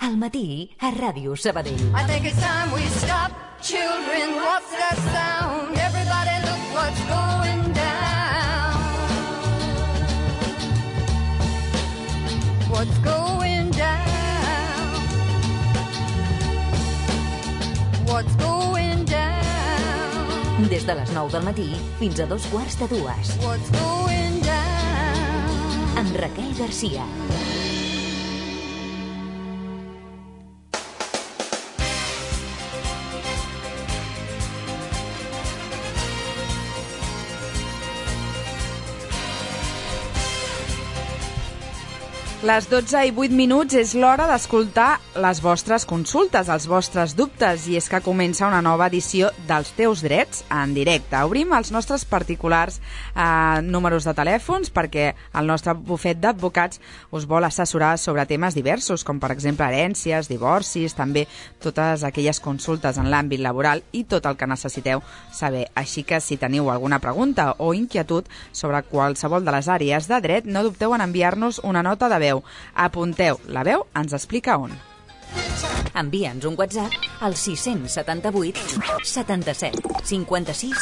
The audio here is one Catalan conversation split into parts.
Al matí a Ràdio Sabadell. I think it's time we stop. Children, what's that sound? Everybody look what's going down. What's going down? What's going down? Des de les 9 del matí fins a 2:15. What's going down? Amb Raquel Garcia. Les 12:08 és l'hora d'escoltar les vostres consultes, els vostres dubtes, i és que comença una nova edició dels Teus Drets en directe. Obrim els nostres particulars números de telèfons perquè el nostre bufet d'advocats us vol assessorar sobre temes diversos, com per exemple herències, divorcis, també totes aquelles consultes en l'àmbit laboral i tot el que necessiteu saber. Així que si teniu alguna pregunta o inquietud sobre qualsevol de les àrees de dret, no dubteu en enviar-nos una nota de veu. Apunteu, la veu ens explica on. Envia'ns un WhatsApp al 678 77 56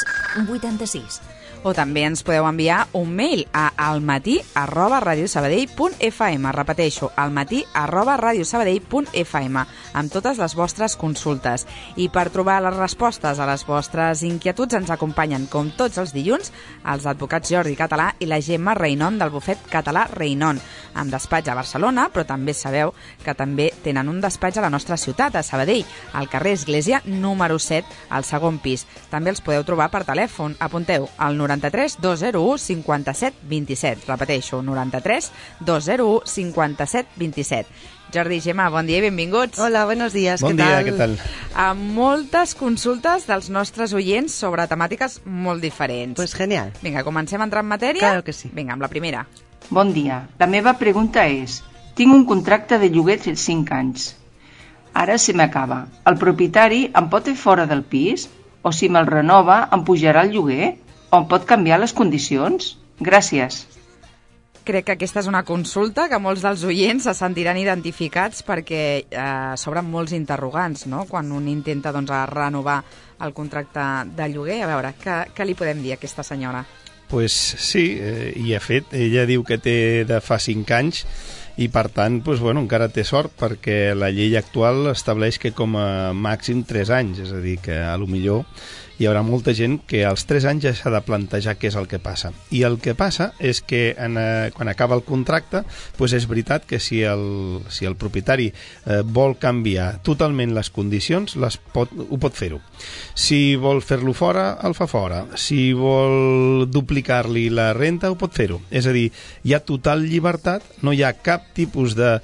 86. O també ens podeu enviar un mail a almatí@radiosabadell.fm. Repeteixo, almatí@radiosabadell.fm amb totes les vostres consultes. I per trobar les respostes a les vostres inquietuds ens acompanyen, com tots els dilluns, els advocats Jordi Català i la Gemma Reinon del bufet català Reinon, amb despatx a Barcelona, però també sabeu que també tenen un despatx a la nostra ciutat, a Sabadell, al carrer Església número 7, al segon pis. També els podeu trobar per telèfon. Apunteu al 93 201 57 27. Repeteixo, 93 201 57 27. Jordi i Gemma, bon dia i benvinguts. Hola, buenos días, bon dia, què tal? Amb moltes consultes dels nostres oients sobre temàtiques molt diferents. Pues genial. Vinga, comencem a entrar en matèria? Claro que sí. Vinga, amb la primera. Bon dia. La meva pregunta és: tinc un contracte de lloguer de 5 anys. Ara se m'acaba. El propietari em pot fer fora del pis? O si me'l renova, em pujarà el lloguer? O em pot canviar les condicions? Gràcies. Crec que aquesta és una consulta que molts dels oients se sentiran identificats perquè s'obren molts interrogants, no?, quan un intenta renovar el contracte de lloguer. A veure, què li podem dir a aquesta senyora? Pues sí, i de fet, ella diu que té de fa 5 anys i per tant, pues, bueno, encara té sort perquè la llei actual estableix que com a màxim 3 anys, és a dir, que a lo millor hi haurà molta gent que als 3 anys ja s'ha de plantejar què és el que passa. I el que passa és que quan acaba el contracte, pues és veritat que si el propietari vol canviar totalment les condicions, ho pot fer-ho. Si vol fer-lo fora, el fa fora. Si vol duplicar-li la renta, ho pot fer-ho. És a dir, hi ha total llibertat, no hi ha cap tipus de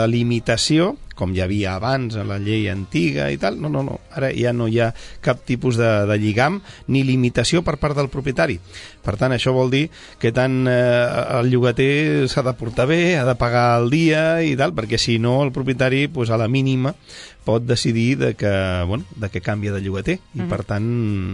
limitació, com hi havia abans a la llei antiga i tal. No. Ara ja no hi ha cap tipus de lligam ni limitació per part del propietari. Per tant, això vol dir que tant el llogater s'ha de portar bé, ha de pagar el dia i tal, perquè si no el propietari, pues, a la mínima pot decidir de que canvia de llogater i per tant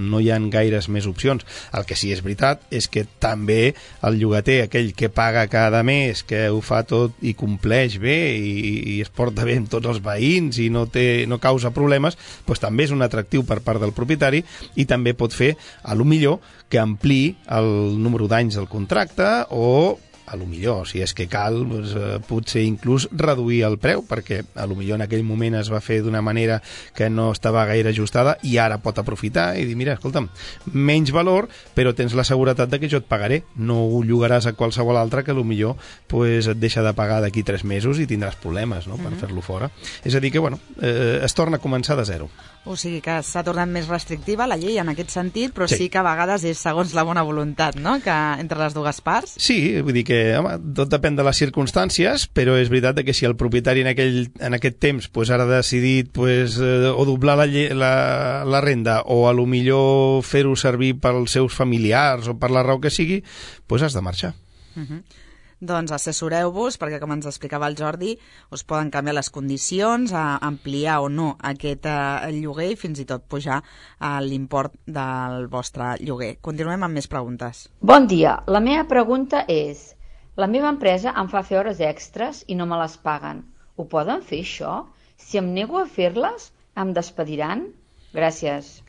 no hi ha gaires més opcions. El que sí és veritat és que també el llogater, aquell que paga cada mes, que ho fa tot i compleix bé i es porta bé amb tots els veïns i no causa problemes, doncs també és un atractiu per part del propietari i també pot fer, a lo millor, que ampliï el número d'anys del contracte o a lo millor, si és que cal, doncs, potser inclús reduir el preu, perquè a lo millor en aquell moment es va fer d'una manera que no estava gaire ajustada i ara pot aprofitar i dir, mira, escolta'm, menys valor, però tens la seguretat de que jo et pagaré, no ho llogaràs a qualsevol altre que a lo millor pues, et deixa de pagar d'aquí 3 mesos i tindràs problemes, no?, per fer-lo fora. És a dir que, bueno, es torna a començar de zero. O sigui que s'ha tornat més restrictiva la llei en aquest sentit, però sí que a vegades és segons la bona voluntat, no?, que entre les dues parts. Sí, vull dir que, home, tot depèn de les circumstàncies, però és veritat que si el propietari en aquest temps pues, ara ha decidit pues, o doblar la renda o a lo millor fer-ho servir pels seus familiars o per la raó que sigui, pues has de marxar. Doncs assessoreu-vos, perquè com ens explicava el Jordi, us poden canviar les condicions, ampliar o no aquest lloguer i fins i tot pujar l'import del vostre lloguer. Continuem amb més preguntes. Bon dia, la meva pregunta és: la meva empresa em fa fer hores extres i no me les paguen. Ho poden fer, això? Si em nego a fer-les, em despediran? Gràcies.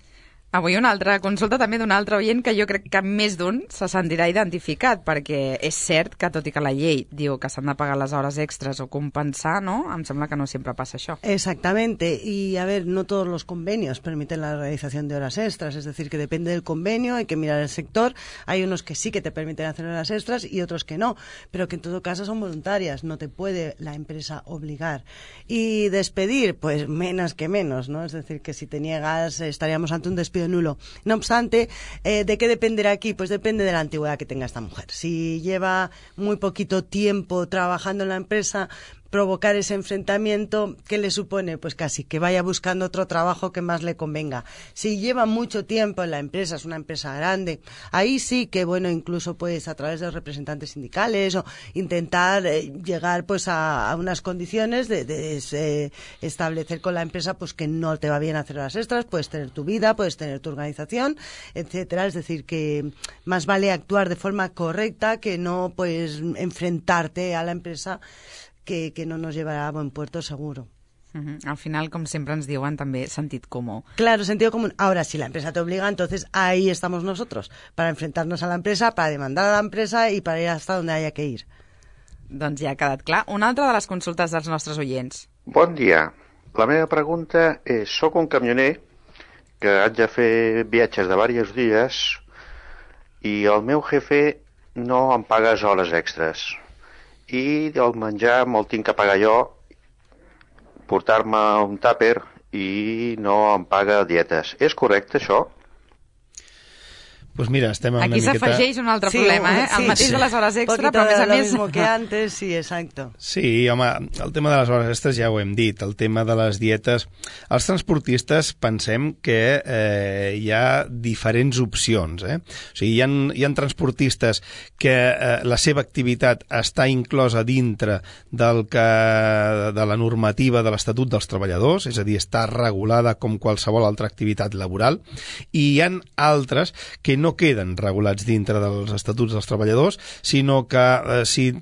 Avui una altra consulta també d'un altre oient que jo crec que més d'un se sentirà identificat, perquè és cert que, tot i que la llei diu que s'han de pagar les hores extras o compensar, ¿no? Em sembla que no siempre pasa això. Exactamente, y a ver, no todos los convenios permiten la realización de horas extras, es decir, que depende del convenio, hay que mirar el sector, hay unos que sí que te permiten hacer horas extras y otros que no, pero que en todo caso son voluntarias, no te puede la empresa obligar. Y despedir, pues menos que menos, ¿no? Es decir, que si te niegas estaríamos ante un despido nulo. No obstante, ¿de qué dependerá aquí? Pues depende de la antigüedad que tenga esta mujer. Si lleva muy poquito tiempo trabajando en la empresa, provocar ese enfrentamiento, ¿qué le supone? Pues casi que vaya buscando otro trabajo que más le convenga. Si lleva mucho tiempo en la empresa, es una empresa grande, ahí sí que, bueno, incluso pues a través de los representantes sindicales o intentar llegar pues a unas condiciones de establecer con la empresa pues que no te va bien hacer horas extras, puedes tener tu vida, puedes tener tu organización, etcétera. Es decir, que más vale actuar de forma correcta que no pues enfrentarte a la empresa que no nos llevará a buen puerto seguro. Al final, com sempre ens diuen, també sentit comú. Claro, sentido común. Ahora, si la empresa te obliga, entonces ahí estamos nosotros, para enfrentarnos a la empresa, para demandar a la empresa y para ir hasta donde haya que ir. Doncs ja ha quedat clar. Una altra de les consultes dels nostres oients. Bon dia. La meva pregunta és, soc un camioner que haig de fer viatges de diversos dies i el meu jefe no em paga hores extres. I el menjar me'l tinc que pagar jo, portar-me un tàper i no em paga dietes. És correcte, això? Pues mira, estem una Aquí miqueta... s'afegeix un altre problema, ¿eh? El mateix de les hores extra, però a més a més... Lo mismo que antes, sí, exacto. Sí, home, el tema de les hores extres ja ho hem dit, el tema de les dietes... Els transportistes pensem que hi ha diferents opcions, eh? O sigui, hi ha transportistes que la seva activitat està inclosa dintre de la normativa de l'Estatut dels Treballadors, és a dir, està regulada com qualsevol altra activitat laboral, i hi ha altres que no queden regulats dintre dels estatuts dels treballadors, sinó que si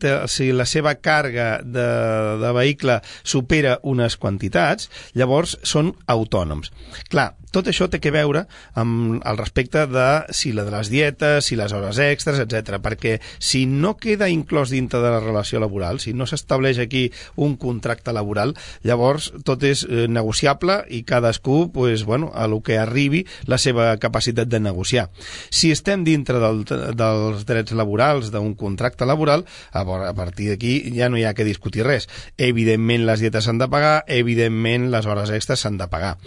la seva càrrega de vehicle supera unes quantitats, llavors són autònoms. Clar, tot això té que veure amb el respecte de si la de les dietes, si les hores extres, etc. Perquè si no queda inclòs dintre de la relació laboral, si no s'estableix aquí un contracte laboral, llavors tot és negociable i cadascú, pues, bueno, a lo que arribi la seva capacitat de negociar. Si estem dintre dels drets laborals, d'un contracte laboral, a partir d'aquí ja no hi ha que discutir res. Evidentment les dietes s'han de pagar, evidentment les hores extres s'han de pagar.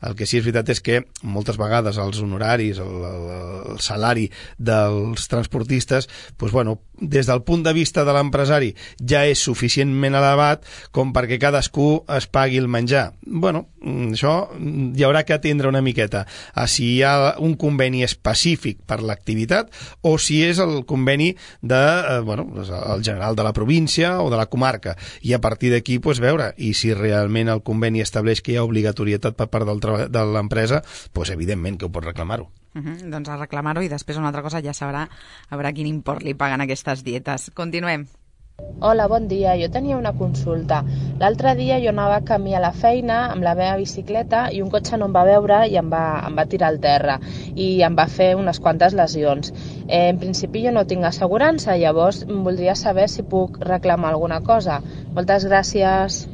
El que sí és veritat és que moltes vegades els honoraris, el salari dels transportistes, doncs, bueno, des del punt de vista de l'empresari ja és suficientment elevat com perquè cadascú es pagui el menjar. Bueno, això hi haurà que atendre una miqueta a si hi ha un conveni específic per l'activitat o si és el conveni el general de la província o de la comarca, i a partir d'aquí pues, veure, i si realment el conveni estableix que hi ha obligatorietat per part de l'empresa, pues, evidentment que ho pot reclamar-ho. Doncs a reclamar-ho, i després una altra cosa ja sabrà a veure quin import li paguen aquestes dietes. Continuem. Hola, bon dia. Jo tenia una consulta. L'altre dia jo anava a camí a la feina amb la meva bicicleta i un cotxe no em va veure i em va tirar al terra i em va fer unes quantes lesions. En principi jo no tinc assegurança, llavors voldria saber si puc reclamar alguna cosa. Moltes gràcies.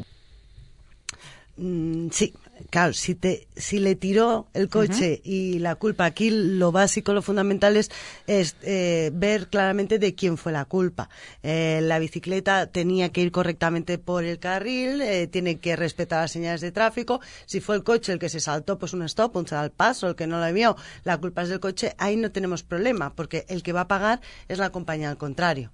Sí. Claro, si le tiró el coche y la culpa, aquí lo básico, lo fundamental es ver claramente de quién fue la culpa. La bicicleta tenía que ir correctamente por el carril, tiene que respetar las señales de tráfico. Si fue el coche el que se saltó, pues un stop, un al paso, el que no lo vio, la culpa es del coche, ahí no tenemos problema, porque el que va a pagar es la compañía al contrario.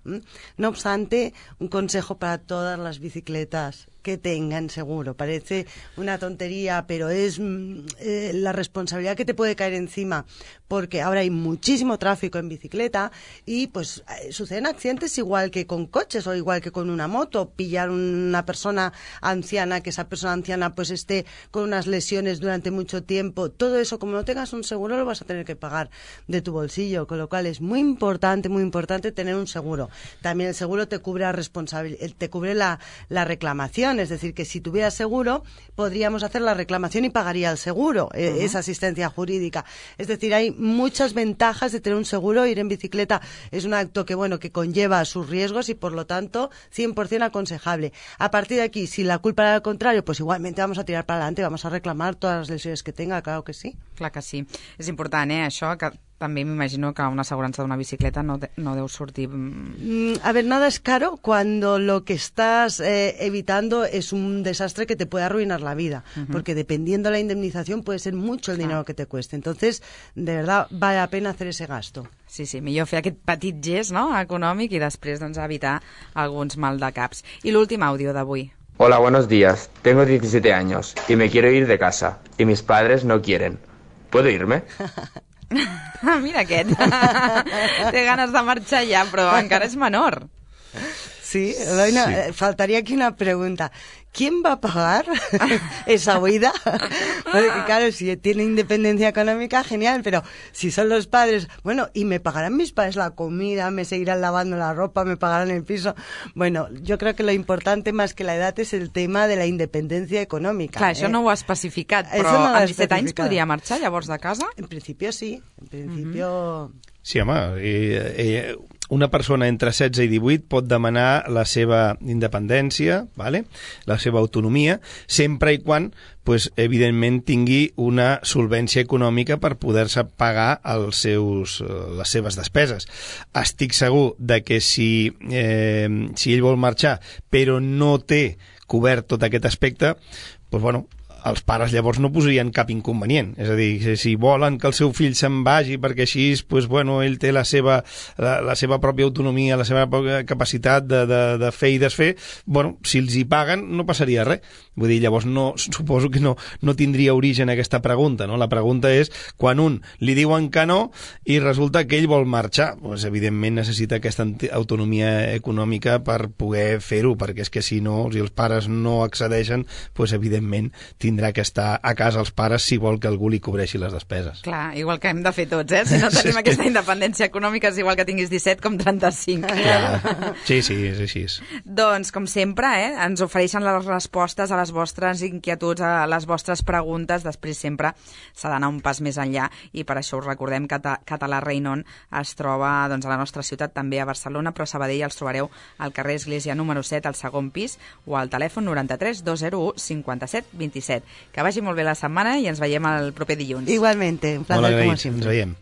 No obstante, un consejo para todas las bicicletas: que tengan seguro. Parece una tontería, pero es la responsabilidad que te puede caer encima, porque ahora hay muchísimo tráfico en bicicleta y pues suceden accidentes igual que con coches o igual que con una moto. Pillar una persona anciana, que esa persona anciana pues esté con unas lesiones durante mucho tiempo, todo eso, como no tengas un seguro, lo vas a tener que pagar de tu bolsillo, con lo cual es muy importante tener un seguro. También el seguro te cubre te cubre la reclamación. indemnización, es decir, que si tuviera seguro, podríamos hacer la reclamación y pagaría el seguro, esa asistencia jurídica. Es decir, hay muchas ventajas de tener un seguro. Ir en bicicleta es un acto que conlleva sus riesgos y, por lo tanto, 100% aconsejable. A partir de aquí, si la culpa era al contrario, pues igualmente vamos a tirar para adelante, vamos a reclamar todas las lesiones que tenga, claro que sí. Clar que sí. És important, això, que també m'imagino que una assegurança d'una bicicleta no deu sortir... A ver, nada es caro cuando lo que estás evitando es un desastre que te puede arruinar la vida, porque dependiendo de la indemnización puede ser mucho el dinero que te cueste. Entonces, de verdad, vale la pena hacer ese gasto. Sí, millor fer aquest petit gest, no?, econòmic, i després evitar alguns maldecaps. I l'últim àudio d'avui. Hola, buenos días. Tengo 17 años y me quiero ir de casa y mis padres no quieren. ¿Puedo irme? Mira aquest. Té ganes de marxar ja, però encara és menor. Sí, Eloina, sí. Faltaría aquí una pregunta. ¿Quién va a pagar esa huida? Porque claro, si tiene independencia económica, genial, pero si son los padres, bueno, ¿y me pagarán mis padres la comida? ¿Me seguirán lavando la ropa? ¿Me pagarán el piso? Bueno, yo creo que lo importante más que la edad es el tema de la independencia econòmica. Clar, això no ho ha especificat, però no amb 17 anys podria marxar llavors de casa? En principio sí, en principio... Sí, home, una persona entre 16 i 18 pot demanar la seva independència, vale? La seva autonomia, sempre i quan, pues, evidentment, tingui una solvència econòmica per poder-se pagar les seves despeses. Estic segur de que si ell vol marxar però no té cobert tot aquest aspecte, pues, bueno, els pares llavors no posarien cap inconvenient. És a dir, si volen que el seu fill se'n vagi perquè així, pues, bueno, ell té la seva pròpia autonomia, la seva pròpia capacitat de fer i desfer, bueno, si els hi paguen no passaria res. Vull dir, llavors suposo que no tindria origen aquesta pregunta, no? La pregunta és quan un li diuen que no i resulta que ell vol marxar, pues, evidentment necessita aquesta autonomia econòmica per poder fer-ho, perquè és que si no, si els pares no accedeixen, pues, evidentment tindrà que estar a casa els pares si vol que algú li cobreixi les despeses. Clar, igual que hem de fer tots, Si no tenim aquesta independència econòmica és igual que tinguis 17 com 35. Clar. Sí, és així. Doncs, com sempre, ens ofereixen les respostes a les vostres inquietuds, a les vostres preguntes. Després sempre s'ha d'anar un pas més enllà i per això us recordem que Català Reinon es troba a la nostra ciutat, també a Barcelona, però a Sabadell els trobareu al carrer Església número 7, al segon pis, o al telèfon 93 201 57 27. Que vagi molt bé la setmana i ens veiem el proper dilluns. Igualmente, un placer, como siempre. Ens veiem.